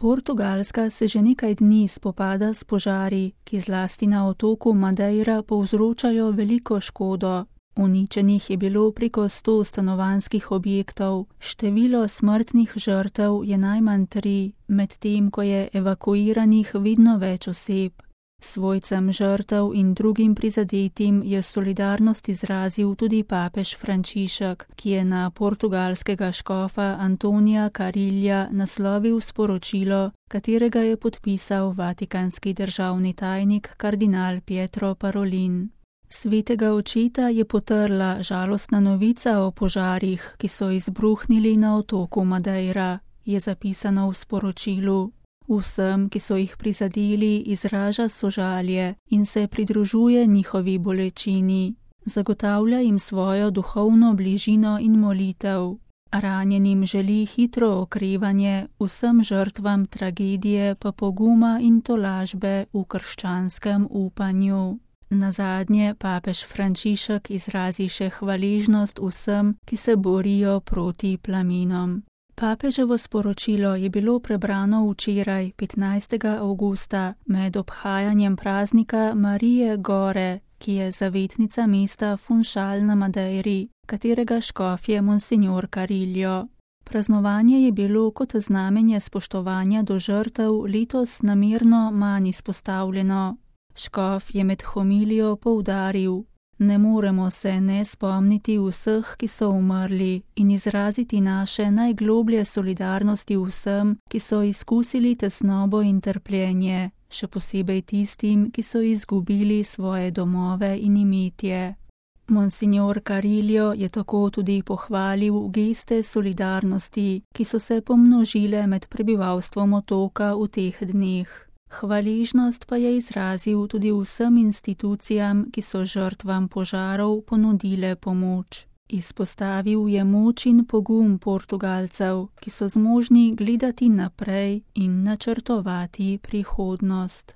Portugalska se že nekaj dni spopada s požari, ki zlasti na otoku Madeira povzročajo veliko škodo. Uničenih je bilo preko 100 stanovanjskih objektov, število smrtnih žrtev je najmanj 3, medtem ko je evakuiranih vedno več oseb. Svojcem žrtev in drugim prizadetim je solidarnost izrazil tudi papež Frančišek, ki je na portugalskega škofa Antonija Carilha naslovil sporočilo, katerega je podpisal vatikanski državni tajnik kardinal Pietro Parolin. Svetega očeta je potrla žalostna novica o požarih, ki so izbruhnili na otoku Madeira, je zapisano v sporočilu. Vsem, ki so jih prizadeli, izraža sožalje in se pridružuje njihovi bolečini. Zagotavlja jim svojo duhovno bližino in molitev. Ranjenim želi hitro okrevanje, vsem žrtvam tragedije pa poguma in tolažbe v krščanskem upanju. Nazadnje papež Frančišek izrazi še hvaležnost vsem, ki se borijo proti plamenom. Papeževo sporočilo je bilo prebrano včeraj, 15. avgusta, med obhajanjem praznika Marije Gore, ki je zavetnica mesta Funchal na Madeiri, katerega škof je monsignor Carilho. Praznovanje je bilo kot znamenje spoštovanja do žrtev letos namerno manj izpostavljeno. Škof je med homilijo poudaril: ne moremo se ne spomniti vseh, ki so umrli, in izraziti naše najgloblje solidarnosti vsem, ki so izkusili tesnobo in trpljenje, še posebej tistim, ki so izgubili svoje domove in imetje. Monsignor Carilho je tako tudi pohvalil geste solidarnosti, ki so se pomnožile med prebivalstvom otoka v teh dneh. Hvaležnost pa je izrazil tudi vsem institucijam, ki so žrtvam požarov ponudile pomoč. Izpostavil je moč in pogum Portugalcev, ki so zmožni gledati naprej in načrtovati prihodnost.